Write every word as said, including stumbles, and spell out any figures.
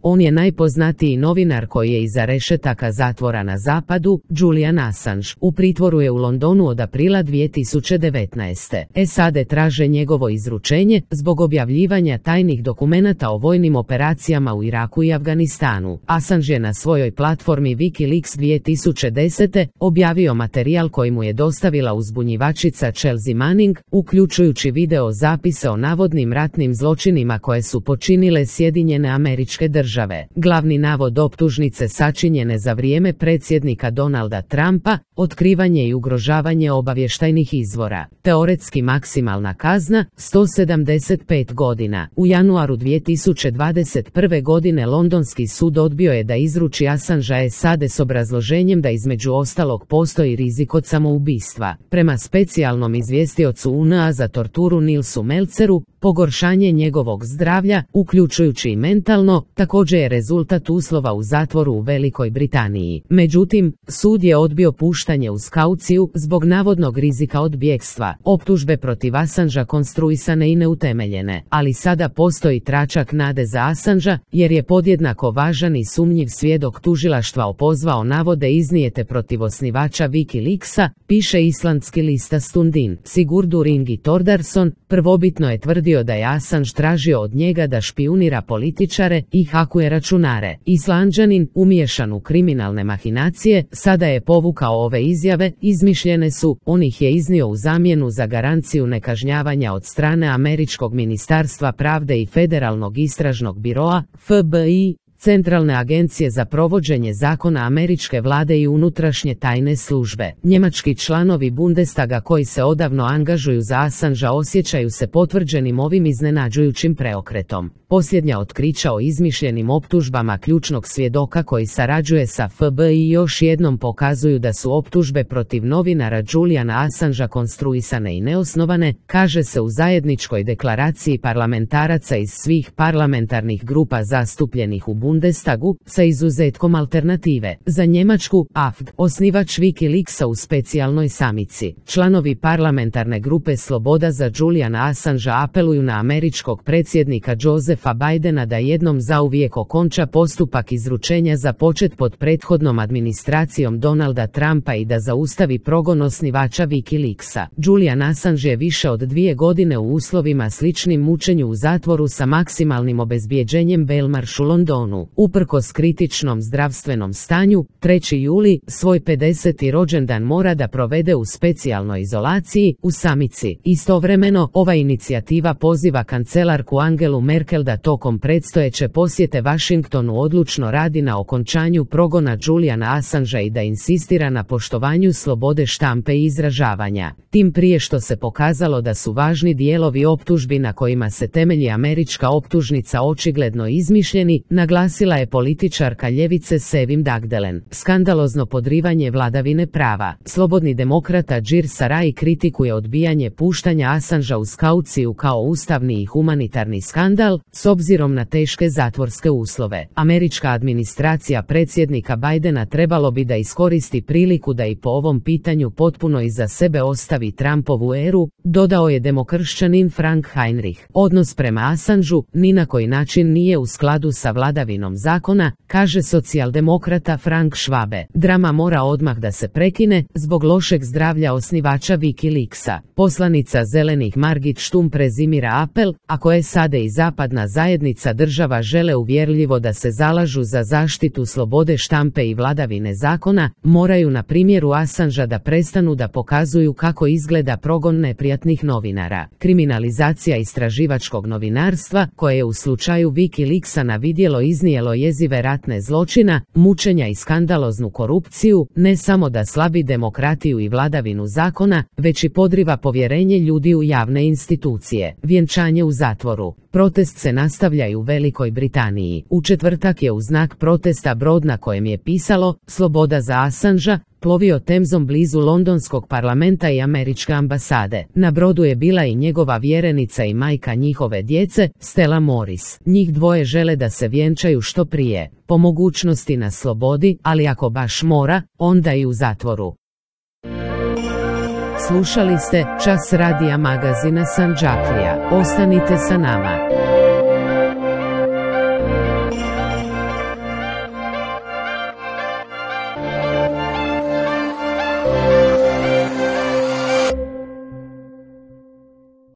On je najpoznatiji novinar koji je iza rešetaka zatvora na zapadu, Julian Assange. U pritvoru je u Londonu od aprila dvije tisuće devetnaeste. S A D traže njegovo izručenje zbog objavljivanja tajnih dokumenata o vojnim operacijama u Iraku i Afganistanu. Assange je na svojoj platformi Wikileaks dvije tisuće desete. objavio materijal koji mu je dostavila uzbunjivačica Chelsea Manning, uključujući video zapise o navodnim ratnim zločinima koje su počinile Sjedinjene Američke Države. Glavni navod optužnice sačinjene za vrijeme predsjednika Donalda Trumpa, otkrivanje i ugrožavanje obavještajnih izvora. Teoretski maksimalna kazna, sto sedamdeset pet godina. U januaru dvije tisuće dvadeset prve. godine Londonski sud odbio je da izruči Assangea S A D s obrazloženjem da između ostalog postoji rizik od samoubistva. Prema specijalnom izvjestiocu U N A za torturu Nilsu Melceru, pogoršanje njegovog zdravlja, uključujući i mentalno, također je rezultat uslova u zatvoru u Velikoj Britaniji. Međutim, sud je odbio puštanje uz kauciju zbog navodnog rizika od bjegstva. Optužbe protiv Assangea konstruisane i neutemeljene, ali sada postoji tračak nade za Assangea, jer je podjednako važan i sumnjiv svjedok tužilaštva opozvao navode iznijete protiv osnivača Wikileaksa, piše islandski lista Stundin. Sigurdur Ingi Thordarson prvobitno je tvrdio da je Assange tražio od njega da špijunira političare i hakuje računare. Islanđanin, umiješan u kriminalne mahinacije, sada je povukao ove izjave, izmišljene su, on ih je iznio u zamjenu za garanciju nekažnjavanja od strane Američkog ministarstva pravde i Federalnog istražnog biroa, F B I, Centralne agencije za provođenje zakona američke vlade i unutrašnje tajne službe. Njemački članovi Bundestaga koji se odavno angažuju za Assangea osjećaju se potvrđenim ovim iznenađujućim preokretom. Posljednja otkrića o izmišljenim optužbama ključnog svjedoka koji sarađuje sa F B I još jednom pokazuju da su optužbe protiv novinara Juliana Assangea konstruisane i neosnovane, kaže se u zajedničkoj deklaraciji parlamentaraca iz svih parlamentarnih grupa zastupljenih u Bundestagu, sa izuzetkom alternative. Za Njemačku, A F D, osnivač Wikileaksa u specijalnoj samici. Članovi parlamentarne grupe Sloboda za Juliana Assangea apeluju na američkog predsjednika Josefa Bidena da jednom zauvijek okonča postupak izručenja započet pod prethodnom administracijom Donalda Trumpa i da zaustavi progon osnivača Wikileaksa. Julian Assange je više od dvije godine u uslovima sličnim mučenju u zatvoru sa maksimalnim obezbjeđenjem Belmarsh u Londonu. Uprkos kritičnom zdravstvenom stanju, trećeg jula svoj pedeseti rođendan mora da provede u specijalnoj izolaciji, u samici. Istovremeno, ova inicijativa poziva kancelarku Angelu Merkel da tokom predstojeće posjete Washingtonu odlučno radi na okončanju progona Juliana Assangea i da insistira na poštovanju slobode štampe i izražavanja. Tim prije što se pokazalo da su važni dijelovi optužbi na kojima se temelji američka optužnica očigledno izmišljeni, naglasila je političarka ljevice Sevim Dagdelen. Skandalozno podrivanje vladavine prava. Slobodni demokrata Džir Sarai kritikuje odbijanje puštanja Assangea uz kauciju kao ustavni i humanitarni skandal, s obzirom na teške zatvorske uslove. Američka administracija predsjednika Bidena trebalo bi da iskoristi priliku da i po ovom pitanju potpuno iza sebe ostavi Trumpovu eru, dodao je demokršćanin Frank Heinrich. Odnos prema Assangeu ni na koji način nije u skladu sa vladavinom zakona, kaže socijaldemokrata Frank Schwabe. Drama mora odmah da se prekine zbog lošeg zdravlja osnivača Wikileaksa. Poslanica zelenih Margit Štum prezimira apel, ako S A D i zapadna zajednica država žele uvjerljivo da se zalažu za zaštitu slobode štampe i vladavine zakona, moraju na primjeru Assangea da prestanu da pokazuju kako izgleda progon neprijatnih novinara. Kriminalizacija istraživačkog novinarstva, koje je u slučaju Wikileaksa na vidjelo iznijelo jezive ratne zločina, mučenja i skandaloznu korupciju, ne samo da slabi demokratiju i vladavinu zakona, već i podriva povjerenje ljudi u javne institucije. Vjenčanje u zatvoru. Protest se nastavlja i u Velikoj Britaniji. U četvrtak je u znak protesta brod na kojem je pisalo "Sloboda za Assangea" plovio Temzom blizu londonskog parlamenta i američke ambasade. Na brodu je bila i njegova vjerenica i majka njihove djece, Stella Morris. Njih dvoje žele da se vjenčaju što prije, po mogućnosti na slobodi, ali ako baš mora, onda i u zatvoru. Slušali ste Čas radija magazina Sandžaklija. Ostanite sa nama.